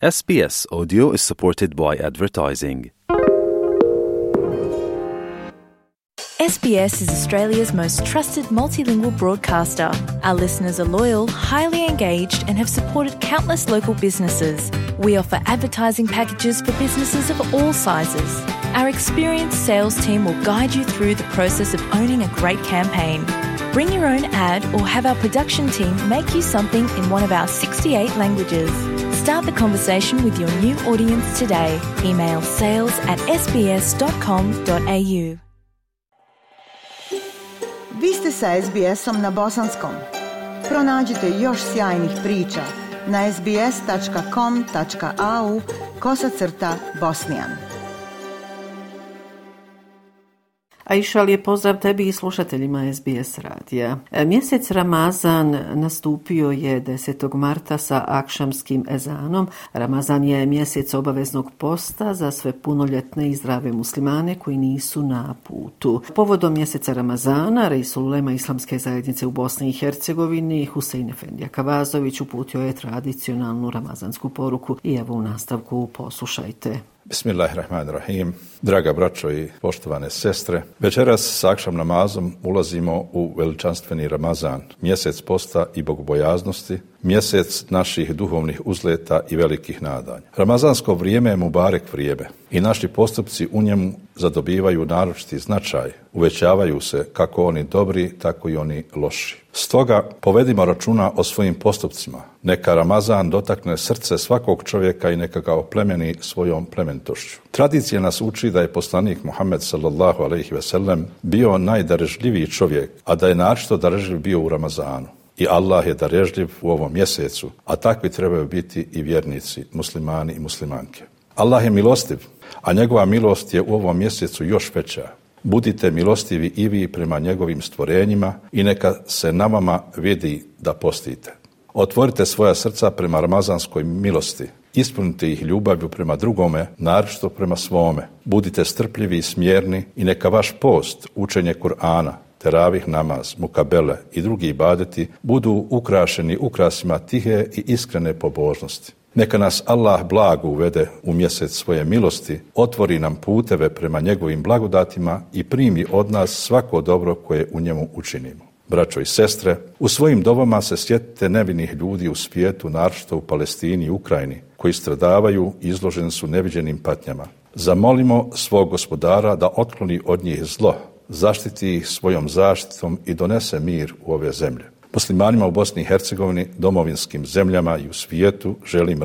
SBS Audio is supported by advertising. SBS is Australia's most trusted multilingual broadcaster. Our listeners are loyal, highly engaged, and have supported countless local businesses. We offer advertising packages for businesses of all sizes. Our experienced sales team will guide you through the process of owning a great campaign. Bring your own ad or have our production team make you something in one of our 68 languages. Start the conversation with your new audience today. Email sales@sbs.com.au. Vi ste sa SBS-om na bosanskom. Pronađite još sjajnih priča na sbs.com.au/bosnijan. Aisha, lijep pozdrav tebi i slušateljima SBS radija. Mjesec Ramazan nastupio je 10. marta sa akšamskim ezanom. Ramazan je mjesec obaveznog posta za sve punoljetne i zdrave muslimane koji nisu na putu. Povodom mjeseca Ramazana, Reisul Ulema Islamske zajednice u Bosni i Hercegovini, Husein Efendija Kavazović, uputio je tradicionalnu ramazansku poruku i evo u nastavku poslušajte. Bismillahirrahmanirrahim. Draga braćo i poštovane sestre, večeras s akšam namazom ulazimo u veličanstveni Ramazan, mjesec posta i bogobojaznosti, mjesec naših duhovnih uzleta i velikih nadanja. Ramazansko vrijeme je mubarek vrijeme i naši postupci u njemu zadobivaju naročiti značaj, uvećavaju se kako oni dobri, tako i oni loši. Stoga povedimo računa o svojim postupcima. Neka Ramazan dotakne srce svakog čovjeka i neka ga oplemeni svojom plemenitošću. Tradicija nas uči da je poslanik Muhammed sallallahu alejhi ve sellem bio najdarežljiviji čovjek, a da je naročito darežljiv bio u Ramazanu. I Allah je darežljiv u ovom mjesecu, a takvi trebaju biti i vjernici, muslimani i muslimanke. Allah je milostiv, a njegova milost je u ovom mjesecu još veća. Budite milostivi i vi prema njegovim stvorenjima i neka se na vama vidi da postite. Otvorite svoja srca prema ramazanskoj milosti. Ispunite ih ljubavlju prema drugome, naročito prema svome. Budite strpljivi i smjerni i neka vaš post, učenje Kur'ana, teravih namaz, mukabele i drugi ibadeti budu ukrašeni ukrasima tihe i iskrene pobožnosti. Neka nas Allah blago uvede u mjesec svoje milosti, otvori nam puteve prema njegovim blagodatima i primi od nas svako dobro koje u njemu učinimo. Braćo i sestre, u svojim dovama se sjetite nevinih ljudi u svijetu, naročito u Palestini i Ukrajini, koji stradavaju i izloženi su neviđenim patnjama. Zamolimo svog Gospodara da otkloni od njih zlo, zaštiti ih svojom zaštitom i donese mir u ove zemlje. Muslimanima u Bosni i Hercegovini, domovinskim zemljama i u svijetu želim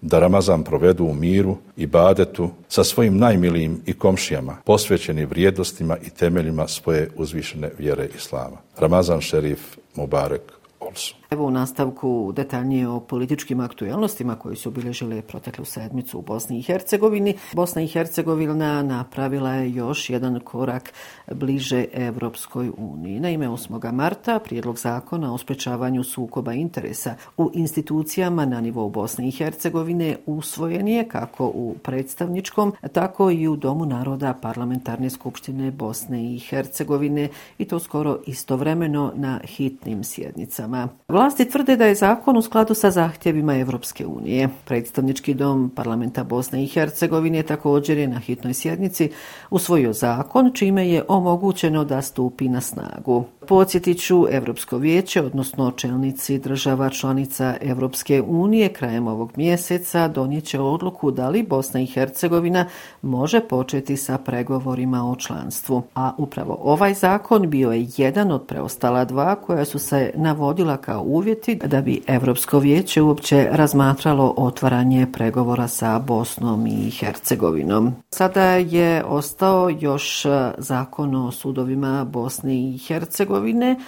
da Ramazan provedu u miru i badetu sa svojim najmilijim i komšijama, posvećeni vrijednostima i temeljima svoje uzvišene vjere Islama. Ramazan šerif Mubarek also. Evo u nastavku detaljnije o političkim aktualnostima koji su obilježile proteklu sedmicu u Bosni i Hercegovini. Bosna i Hercegovina napravila je još jedan korak bliže Evropskoj uniji. Naime, 8. marta prijedlog zakona o sprečavanju sukoba interesa u institucijama na nivou Bosne i Hercegovine usvojen je kako u predstavničkom, tako i u Domu naroda Parlamentarne skupštine Bosne i Hercegovine i to skoro istovremeno na hitnim sjednicama. Vlasti tvrde da je zakon u skladu sa zahtjevima Evropske unije. Predstavnički dom parlamenta Bosne i Hercegovine također je na hitnoj sjednici usvojio zakon čime je omogućeno da stupi na snagu. Podsjetit ću, Europsko vijeće, odnosno čelnici država članica Evropske unije krajem ovog mjeseca donijet će odluku da li Bosna i Hercegovina može početi sa pregovorima o članstvu. A upravo ovaj zakon bio je jedan od preostala dva koja su se navodila kao uvjeti da bi Europsko vijeće uopće razmatralo otvaranje pregovora sa Bosnom i Hercegovinom. Sada je ostao još zakon o sudovima Bosne i Hercegovine.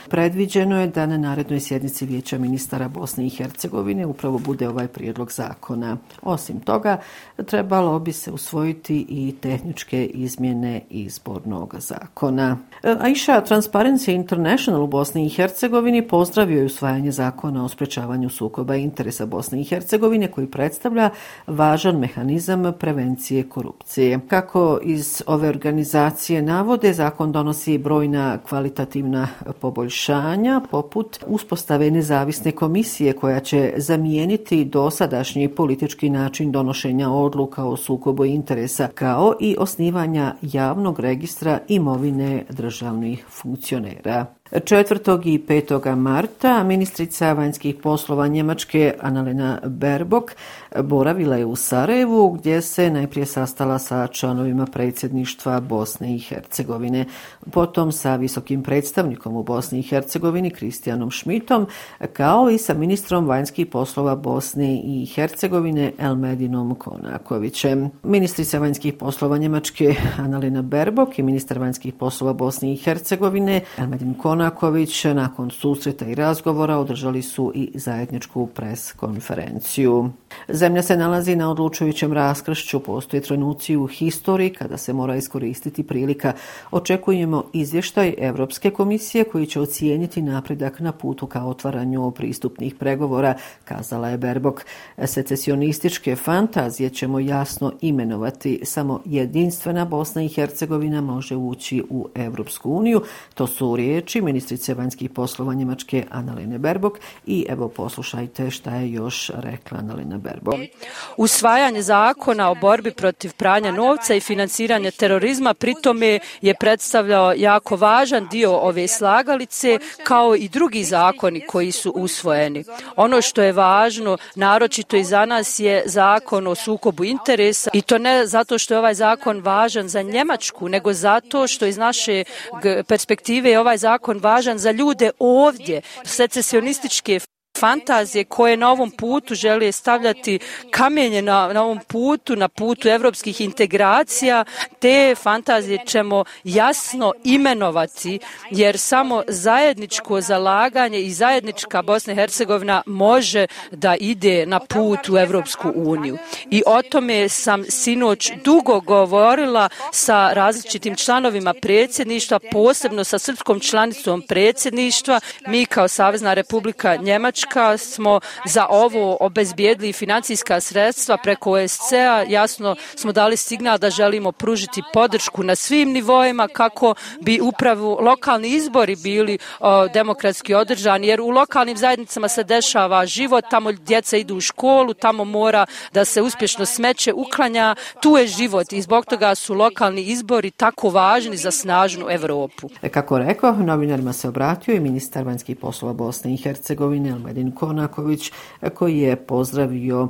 Predviđeno je da na narednoj sjednici Vijeća ministara Bosne i Hercegovine upravo bude ovaj prijedlog zakona. Osim toga, trebalo bi se usvojiti i tehničke izmjene izbornog zakona. Aisha, Transparency International u Bosni i Hercegovini pozdravio je usvajanje zakona o sprečavanju sukoba interesa Bosne i Hercegovine koji predstavlja važan mehanizam prevencije korupcije. Kako iz ove organizacije navode, zakon donosi brojna kvalitativna poboljšanja, poput uspostave nezavisne komisije koja će zamijeniti dosadašnji politički način donošenja odluka o sukobu interesa, kao i osnivanja javnog registra imovine državnih funkcionera. 4. i 5. marta ministrica vanjskih poslova Njemačke Annalena Baerbock boravila je u Sarajevu, gdje se najprije sastala sa članovima predsjedništva Bosne i Hercegovine, potom sa visokim predstavnikom u Bosni i Hercegovini Kristijanom Schmidtom, kao i sa ministrom vanjskih poslova Bosne i Hercegovine Elmedinom Konakovićem. Ministrica vanjskih poslova Njemačke Annalena Baerbock i ministar vanjskih poslova Bosne i Hercegovine Elmedin Konaković nakon susreta i razgovora održali su i zajedničku pres konferenciju. Zemlja se nalazi na odlučujućem raskršću, postoje trenuci u historiji kada se mora iskoristiti prilika. Očekujemo izvještaj Europske komisije koji će ocijeniti napredak na putu ka otvaranju pristupnih pregovora, kazala je Baerbock. Secesionističke fantazije ćemo jasno imenovati. Samo jedinstvena Bosna i Hercegovina može ući u Europsku uniju. To su riječi ministrice vanjskih poslova Njemačke Annalene Baerbock i evo poslušajte šta je još rekla Annalena Baerbock. Usvajanje zakona o borbi protiv pranja novca i financiranja terorizma pritome je predstavljao jako važan dio ove slagalice, kao i drugi zakoni koji su usvojeni. Ono što je važno, naročito i za nas, je zakon o sukobu interesa, i to ne zato što je ovaj zakon važan za Njemačku, nego zato što iz naše perspektive je ovaj zakon važan za ljude ovdje. Secesionističke fantazije koje na ovom putu žele stavljati kamenje na ovom putu, na putu evropskih integracija, te fantazije ćemo jasno imenovati, jer samo zajedničko zalaganje i zajednička Bosna i Hercegovina može da ide na put u Evropsku uniju. I o tome sam sinoć dugo govorila sa različitim članovima predsjedništva, posebno sa srpskom članicom predsjedništva. Mi kao Savezna Republika Njemačka smo za ovo obezbijedili financijska sredstva preko OSCE-a. Jasno smo dali signal da želimo pružiti podršku na svim nivoima kako bi upravo lokalni izbori bili demokratski održani, jer u lokalnim zajednicama se dešava život, tamo djeca idu u školu, tamo mora da se uspješno smeće uklanja, tu je život i zbog toga su lokalni izbori tako važni za snažnu Europu. Kako rekao, novinarima se obratio i ministar vanjskih poslova Bosne i Hercegovine Elmedin Konaković, koji je pozdravio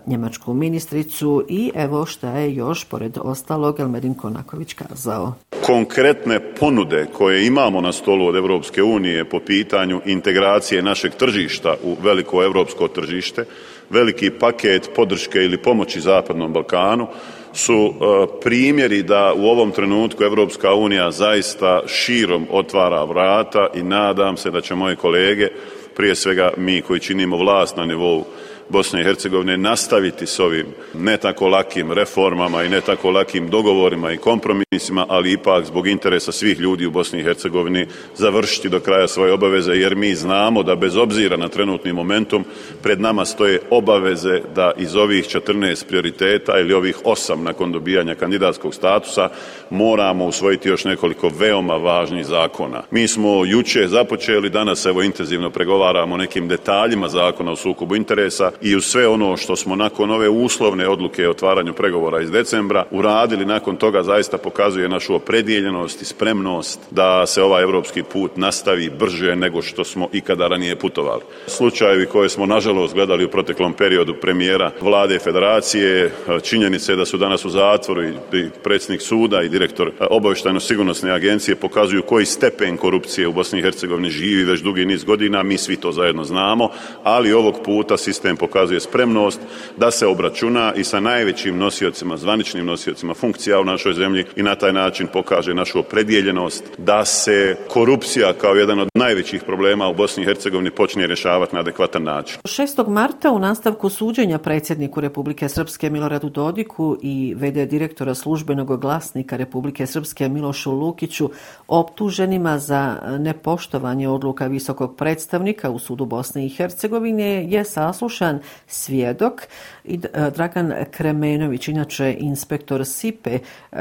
njemačku ministricu i evo šta je još pored ostalog Elmedin Konaković kazao. Konkretne ponude koje imamo na stolu od Europske unije po pitanju integracije našeg tržišta u veliko europsko tržište, veliki paket podrške ili pomoći Zapadnom Balkanu su primjeri da u ovom trenutku Europska unija zaista širom otvara vrata i nadam se da će moje kolege, prije svega mi koji činimo vlast na nivou Bosne i Hercegovine, nastaviti s ovim ne tako lakim reformama i ne tako lakim dogovorima i kompromisima, ali ipak zbog interesa svih ljudi u Bosni i Hercegovini završiti do kraja svoje obaveze, jer mi znamo da bez obzira na trenutni momentum pred nama stoje obaveze da iz ovih 14 prioriteta ili ovih 8 nakon dobijanja kandidatskog statusa moramo usvojiti još nekoliko veoma važnih zakona. Mi smo jučer započeli, danas evo intenzivno pregovaramo o nekim detaljima zakona o sukobu interesa i uz sve ono što smo nakon ove uslovne odluke o otvaranju pregovora iz decembra uradili nakon toga zaista pokazuje našu opredjeljenost i spremnost da se ovaj europski put nastavi brže nego što smo ikada ranije putovali. Slučajevi koje smo nažalost gledali u proteklom periodu premijera vlade federacije, činjenice da su danas u zatvoru i predsjednik suda i direktor obavještajno-sigurnosne agencije pokazuju koji stepen korupcije u Bosni i Hercegovini živi već dugi niz godina, mi svi to zajedno znamo, ali ovog puta sistem pokazuje spremnost da se obračuna i sa najvećim nosiocima, zvaničnim nosiocima funkcija u našoj zemlji i na taj način pokaže našu opredjeljenost da se korupcija kao jedan od najvećih problema u Bosni i Hercegovini počne rješavati na adekvatan način. 6. marta u nastavku suđenja predsjedniku Republike Srpske Miloradu Dodiku i v.d. direktora službenog glasnika Republike Srpske Milošu Lukiću optuženima za nepoštovanje odluka visokog predstavnika u sudu Bosne i Hercegovine je saslušan Milan Svjedok i Dragan Kremenović, inače inspektor SIPE,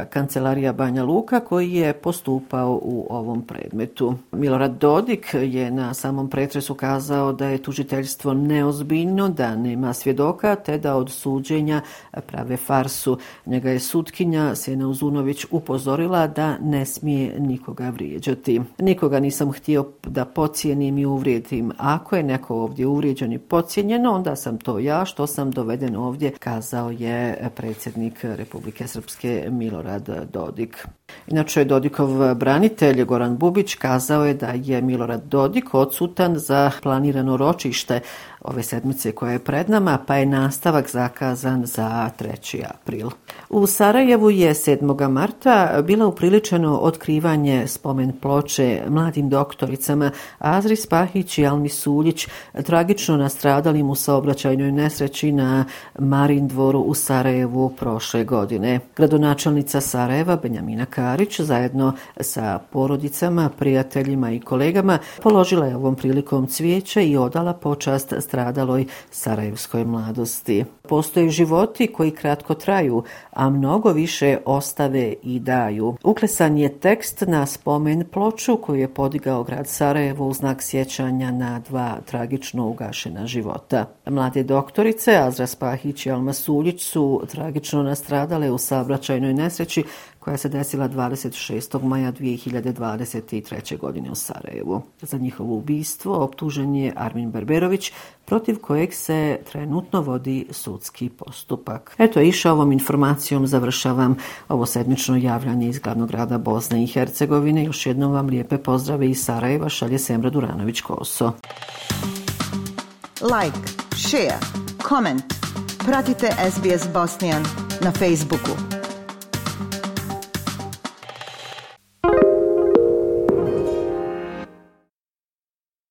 kancelarija Banja Luka, koji je postupao u ovom predmetu. Milorad Dodik je na samom pretresu kazao da je tužiteljstvo neozbiljno, da nema svjedoka, te da od suđenja prave farsu. Njega je sutkinja Sjena Uzunović upozorila da ne smije nikoga vrijeđati. Nikoga nisam htio da podcijenim i uvrijedim. Ako je neko ovdje uvrijeđen i podcijenjen, onda sam to ja što sam doveden ovdje, kazao je predsjednik Republike Srpske Milorad Dodik. Inače, Dodikov branitelj Goran Bubić kazao je da je Milorad Dodik odsutan za planirano ročište ove sedmice koja je pred nama, pa je nastavak zakazan za 3. april. U Sarajevu je 7. marta bilo upriličeno otkrivanje spomen ploče mladim doktoricama Azri Spahić i Almi Suljić, tragično nastradalim u saobraćajnoj nesreći na Marin dvoru u Sarajevu prošle godine. Gradonačelnica Sarajeva Benjamina Karić zajedno sa porodicama, prijateljima i kolegama položila je ovom prilikom cvijeće i odala počast stradaloj sarajevskoj mladosti. Postoje životi koji kratko traju, a mnogo više ostave i daju. Uklesan je tekst na spomen ploču koju je podigao grad Sarajevo u znak sjećanja na 2 tragično ugašena života. Mlade doktorice Azra Spahić i Alma Suljić su tragično nastradale u saobraćajnoj nesreći koja se desila 26. maja 2023. godine u Sarajevu. Za njihovo ubistvo optužen je Armin Berberović, protiv kojeg se trenutno vodi sudski postupak. Eto, išao ovom informacijom završavam ovo sedmično javljanje iz glavnog grada Bosne i Hercegovine. Još jednom vam lijepe pozdrave iz Sarajeva šalje Semra Duranović-Koso. Like, share, comment. Pratite SBS Bosnian na Facebooku.